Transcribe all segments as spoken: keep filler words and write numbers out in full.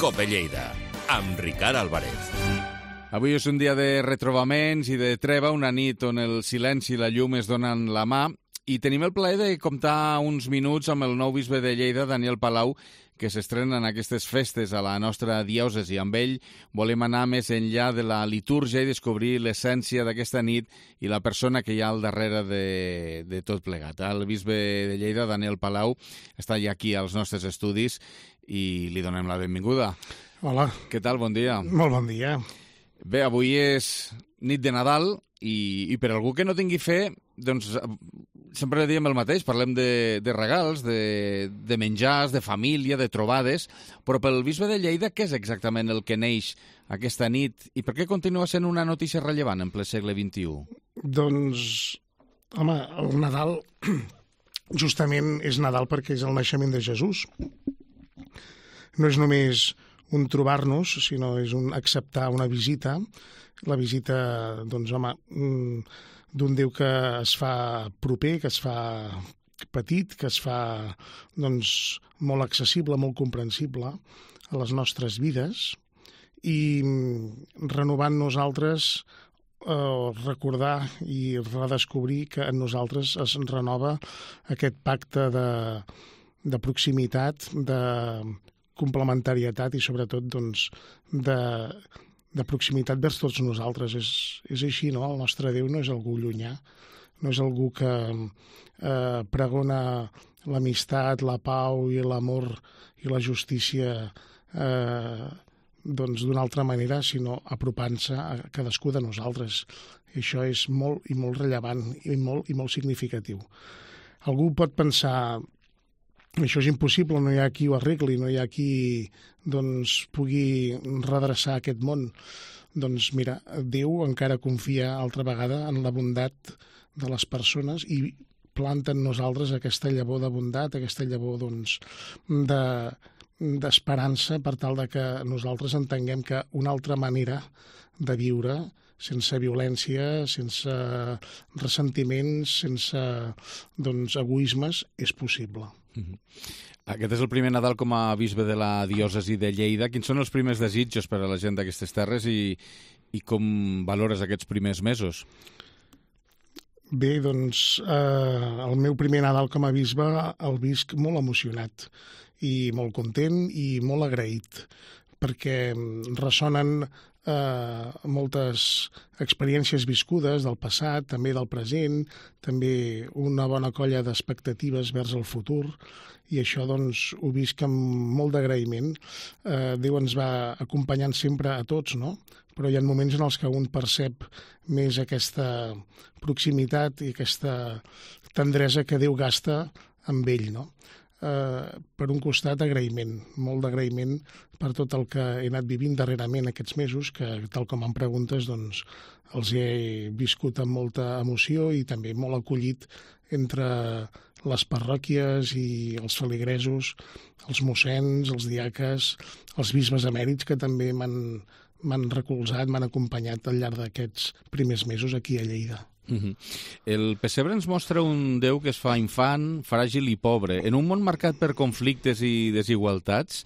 Cope Lleida, amb Ricard Álvarez. Avui és un dia de retrobaments i de treva, una nit on el silenci i la llum es donen la mà, i tenim el plaer de comptar uns minuts amb el nou bisbe de Lleida, Daniel Palau, que s'estrena en aquestes festes a la nostra diòcesi. Amb ell volem anar més enllà de la litúrgia i descobrir l'essència d'aquesta nit i la persona que hi ha al darrere de, de tot plegat. El bisbe de Lleida, Daniel Palau, està ja aquí als nostres estudis i li donem la benvinguda. Hola. Què tal? Bon dia. Molt bon dia. Bé, avui és nit de Nadal i, i per algú que no tingui fe, doncs sempre diem el mateix, parlem de, de regals, de, de menjars, de família, de trobades, però pel bisbe de Lleida què és exactament el que neix aquesta nit i per què continua sent una notícia rellevant en ple segle vint-i-u? Doncs, home, el Nadal justament és Nadal perquè és el naixement de Jesús. No és només un trobar-nos, sinó és un acceptar una visita, la visita, doncs, home, d'un Déu que es fa proper, que es fa petit, que es fa, doncs, molt accessible, molt comprensible a les nostres vides, i renovant nosaltres, eh, recordar i redescobrir que en nosaltres es renova aquest pacte de, de proximitat, de complementarietat i sobretot doncs, de, de proximitat vers tots nosaltres. És, és així, no? El nostre Déu no és algú llunyà, no és algú que eh, pregona l'amistat, la pau i l'amor i la justícia eh, doncs d'una altra manera, sinó apropant-se a cadascú de nosaltres. I això és molt i molt rellevant i molt, i molt significatiu. Algú pot pensar: això és impossible, no hi ha qui ho arregli, no hi ha qui doncs, pugui redreçar aquest món. Doncs mira, Déu encara confia altra vegada en la bondat de les persones i planta en nosaltres aquesta llavor de bondat, aquesta llavor doncs, de, d'esperança per tal de que nosaltres entenguem que una altra manera de viure, sense violència, sense ressentiments, sense doncs, egoismes, és possible. Aquest és el primer Nadal com a bisbe de la diòcesi de Lleida. Quins són els primers desitjos per a la gent d'aquestes terres i, i com valores aquests primers mesos? Bé, doncs, eh, el meu primer Nadal com a bisbe el visc molt emocionat i molt content i molt agraït, perquè ressonen eh, moltes experiències viscudes del passat, també del present, també una bona colla d'expectatives vers el futur, i això doncs, ho visc amb molt d'agraïment. Eh, Déu ens va acompanyant sempre a tots, no? Però hi ha moments en els que un percep més aquesta proximitat i aquesta tendresa que Déu gasta amb ell, no? Eh, per un costat, agraïment, molt d'agraïment per tot el que he anat vivint darrerament aquests mesos, que tal com em preguntes, doncs, els he viscut amb molta emoció i també molt acollit entre les parròquies i els feligresos, els mossens, els diaques, els bisbes emèrits que també m'han, m'han recolzat, m'han acompanyat al llarg d'aquests primers mesos aquí a Lleida. Uh-huh. El pessebre ens mostra un Déu que es fa infant, fràgil i pobre. En un món marcat per conflictes i desigualtats,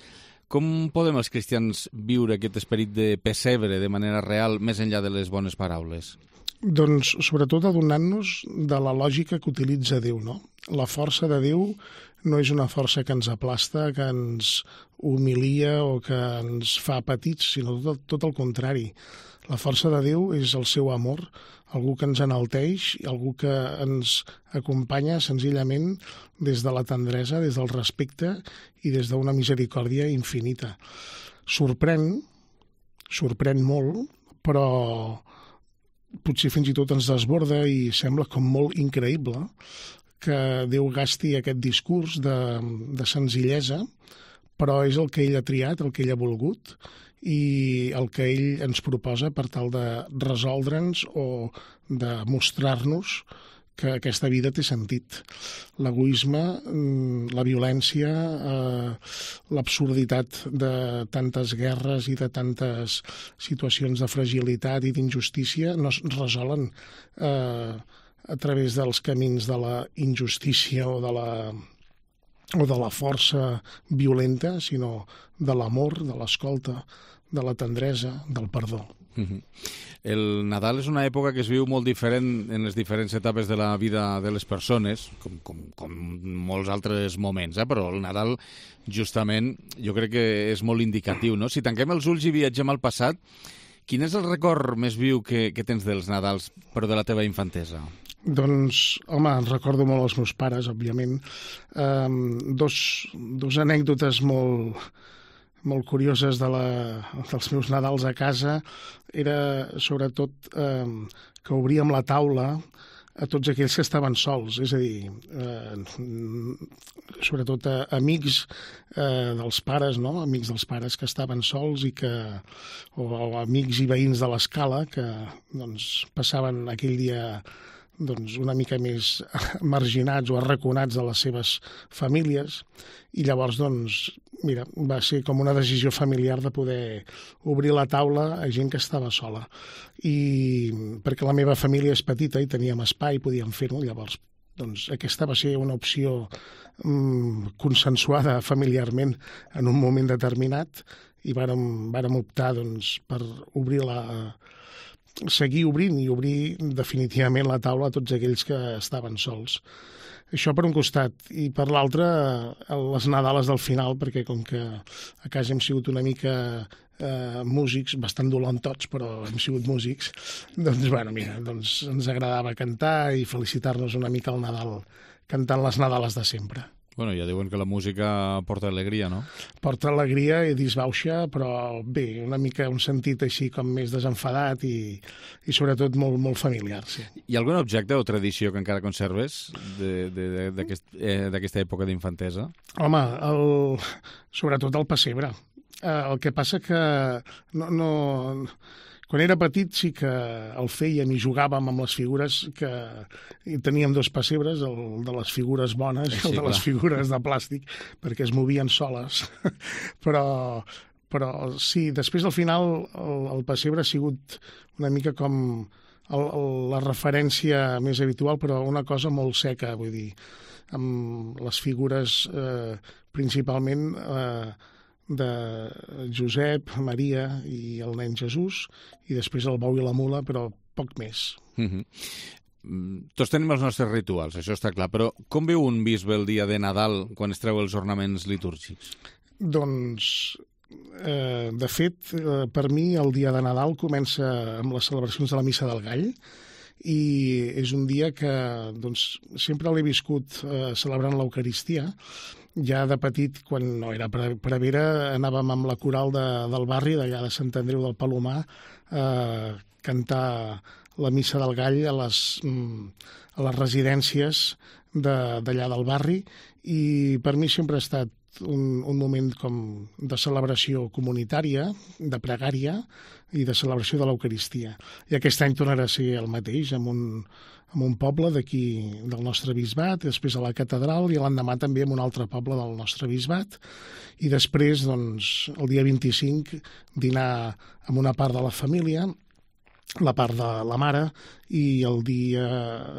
com podem els cristians viure aquest esperit de pessebre de manera real, més enllà de les bones paraules? Doncs sobretot adonant-nos de la lògica que utilitza Déu, no? La força de Déu no és una força que ens aplasta, que ens humilia o que ens fa petits, sinó tot, tot el contrari. La força de Déu és el seu amor, algú que ens enalteix, algú que ens acompanya senzillament des de la tendresa, des del respecte i des d'una misericòrdia infinita. Sorprèn, sorprèn molt, però potser fins i tot ens desborda i sembla com molt increïble que Déu gasti aquest discurs de, de senzillesa, però és el que ell ha triat, el que ell ha volgut i el que ell ens proposa per tal de resoldre'ns o de mostrar-nos que aquesta vida té sentit. L'egoisme, la violència, eh, l'absurditat de tantes guerres i de tantes situacions de fragilitat i d'injustícia no es resolen eh, a través dels camins de la injustícia o de la o de la força violenta, sinó de l'amor, de l'escolta, de la tendresa, del perdó. Uh-huh. El Nadal és una època que es viu molt diferent en les diferents etapes de la vida de les persones, com, com, com molts altres moments, eh? Però el Nadal, justament, jo crec que és molt indicatiu, no? Si tanquem els ulls i viatgem al passat, quin és el record més viu que, que tens dels Nadals, però de la teva infantesa? Doncs, home, recordo molt els meus pares, òbviament. Um, dos, dos anècdotes molt... molt curioses de la, dels meus Nadals a casa era sobretot eh, que obríem la taula a tots aquells que estaven sols, és a dir, eh, sobretot a amics eh, dels pares, no? Amics dels pares que estaven sols i que, o, o amics i veïns de l'escala que doncs, passaven aquell dia doncs, una mica més marginats o arraconats de les seves famílies, i llavors, doncs, mira, va ser com una decisió familiar de poder obrir la taula a gent que estava sola. I perquè la meva família és petita i teníem espai, podíem fer-ho, llavors doncs, aquesta va ser una opció mm, consensuada familiarment en un moment determinat i vàrem, vàrem optar doncs, per obrir la... seguir obrint i obrir definitivament la taula a tots aquells que estaven sols. Això per un costat. I per l'altre, les Nadales del final, perquè com que a casa hem sigut una mica eh, músics, bastant dolentots, però hem sigut músics, doncs, bueno, mira, doncs ens agradava cantar i felicitar-nos una mica al Nadal, cantant les Nadales de sempre. Bueno, ja diuen que la música porta alegria, no? Porta alegria i disbauxa, però bé, una mica un sentit així com més desenfadat i, i sobretot molt, molt familiar, sí. Hi ha algun objecte o tradició que encara conserves d'aquesta aquest, eh, època d'infantesa? Home, el, sobretot el pessebre. Eh, el que passa que no... no quan era petit sí que el fèiem i jugàvem amb les figures, que i teníem dos pessebres, el de les figures bones i el de les figures de plàstic, perquè es movien soles. però, però sí, després al final el, el pessebre ha sigut una mica com el, el, la referència més habitual, però una cosa molt seca, vull dir, amb les figures eh, principalment... Eh, de Josep, Maria i el nen Jesús, i després el bou i la mula, però poc més. Mm-hmm. Tots tenim els nostres rituals, això està clar, però com viu un bisbe el dia de Nadal quan es treu els ornaments litúrgics? Doncs, eh, de fet, eh, per mi el dia de Nadal comença amb les celebracions de la Missa del Gall, i és un dia que doncs, sempre l'he viscut eh, celebrant l'Eucaristia. Ja de petit, quan no era prevera, anàvem amb la coral de, del barri, d'allà de Sant Andreu del Palomar, a eh, cantar la Missa del Gall a les, a les residències d'allà del barri, i per mi sempre ha estat un, un moment com de celebració comunitària, de pregària i de celebració de l'Eucaristia. I aquest any tornarà a ser el mateix, amb un, amb un poble d'aquí del nostre bisbat, després a la catedral, i l'endemà també en un altre poble del nostre bisbat, i després, doncs, el dia vint-i-cinc, dinar amb una part de la família, la part de la mare, i el dia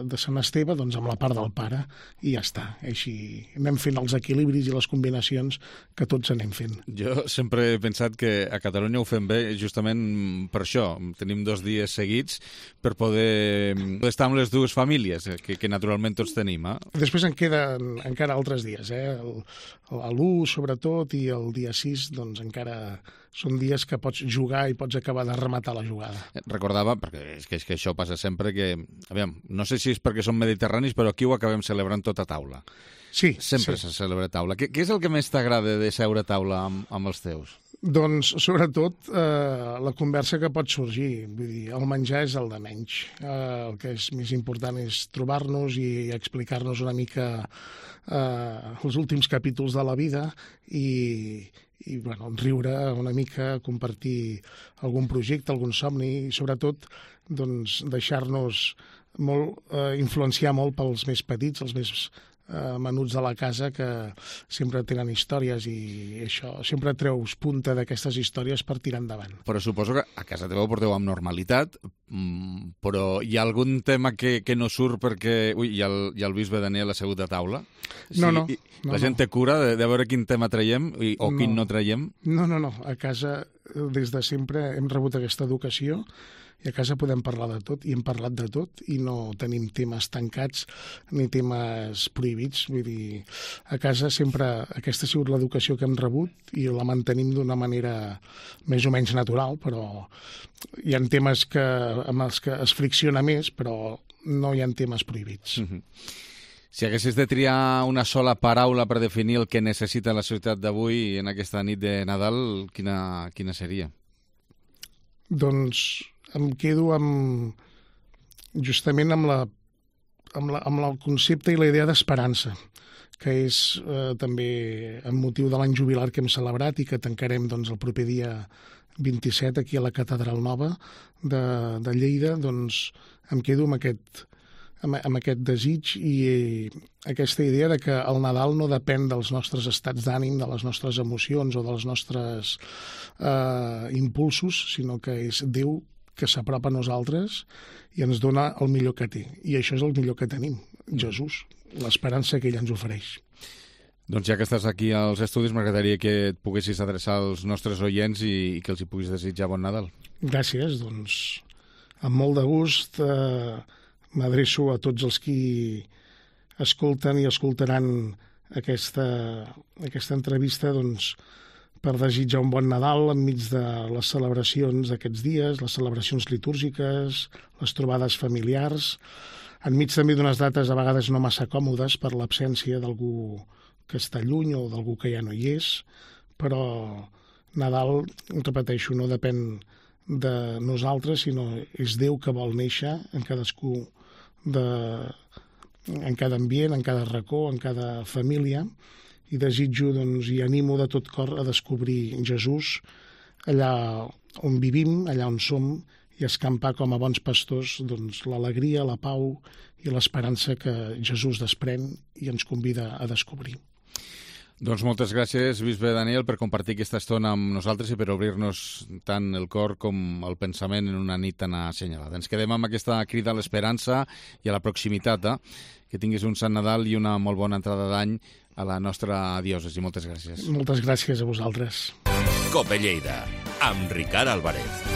de Sant Esteve doncs amb la part del pare, i ja està. Així anem fent els equilibris i les combinacions que tots anem fent. Jo sempre he pensat que a Catalunya ho fem bé justament per això. Tenim dos dies seguits per poder estar amb les dues famílies, que, que naturalment tots tenim. Eh? Després en queden encara altres dies, eh? l'u sobretot i el dia sis doncs encara són dies que pots jugar i pots acabar de rematar la jugada. Recordava, perquè és que, és que això passa sempre, que, aviam, no sé si és perquè som mediterranis, però aquí ho acabem celebrant tot a taula. Sí. Sempre sí. se celebra a taula. Què, què és el que més t'agrada de seure a taula amb, amb els teus? Doncs, sobretot, eh, la conversa que pot sorgir. Vull dir, el menjar és el de menys. Eh, el que és més important és trobar-nos i explicar-nos una mica eh, els últims capítols de la vida i, i bueno, riure una mica, compartir algun projecte, algun somni, i sobretot doncs, deixar-nos molt, eh, influenciar molt pels més petits, els més eh, menuts de la casa que sempre tenen històries i això, sempre treus punta d'aquestes històries per tirar endavant. Però suposo que a casa teva ho porteu amb normalitat, però hi ha algun tema que, que no surt perquè ui, hi ha el, hi ha el bisbe Daniel assegut a taula? Sí, no, no. La no, gent no. té cura de, de veure quin tema traiem i, o no. quin no traiem? No, no, no. A casa, des de sempre, hem rebut aquesta educació i a casa podem parlar de tot, i hem parlat de tot, i no tenim temes tancats ni temes prohibits. Vull dir, a casa sempre aquesta ha sigut l'educació que hem rebut i la mantenim d'una manera més o menys natural, però hi ha temes que, amb els que es fricciona més, però no hi ha temes prohibits. Mm-hmm. Si haguessis de triar una sola paraula per definir el que necessita la societat d'avui en aquesta nit de Nadal, quina, quina seria? Doncs em quedo amb, justament amb, la, amb, la, amb el concepte i la idea d'esperança, que és eh, també amb motiu de l'any jubilar que hem celebrat i que tancarem doncs, el proper dia vint-i-set aquí a la Catedral Nova de, de Lleida. Doncs em quedo amb aquest, amb, amb aquest desig i eh, aquesta idea de que el Nadal no depèn dels nostres estats d'ànim, de les nostres emocions o dels nostres eh, impulsos, sinó que és Déu que s'apropa a nosaltres i ens dona el millor que té. I això és el millor que tenim, Jesús, l'esperança que ell ens ofereix. Doncs ja que estàs aquí als estudis, m'agradaria que et poguessis adreçar als nostres oients i, i que els hi puguis desitjar bon Nadal. Gràcies, doncs amb molt de gust eh, m'adreço a tots els qui escolten i escoltaran aquesta, aquesta entrevista, doncs per desitjar un bon Nadal enmig de les celebracions d'aquests dies, les celebracions litúrgiques, les trobades familiars, enmig també d'unes dates a vegades no massa còmodes per l'absència d'algú que està lluny o d'algú que ja no hi és, però Nadal, repeteixo, no depèn de nosaltres, sinó és Déu que vol néixer en cadascú de, en cada ambient, en cada racó, en cada família, i desitjo doncs, i animo de tot cor a descobrir Jesús allà on vivim, allà on som, i escampar com a bons pastors doncs, l'alegria, la pau i l'esperança que Jesús desprèn i ens convida a descobrir. Doncs moltes gràcies, bisbe Daniel, per compartir aquesta estona amb nosaltres i per obrir-nos tant el cor com el pensament en una nit tan assenyalada. Ens quedem amb aquesta crida a l'esperança i a la proximitat. Eh? Que tinguis un Sant Nadal i una molt bona entrada d'any a la nostra diòcesi. Moltes gràcies. Moltes gràcies a vosaltres. Cope Lleida, amb Ricard Álvarez.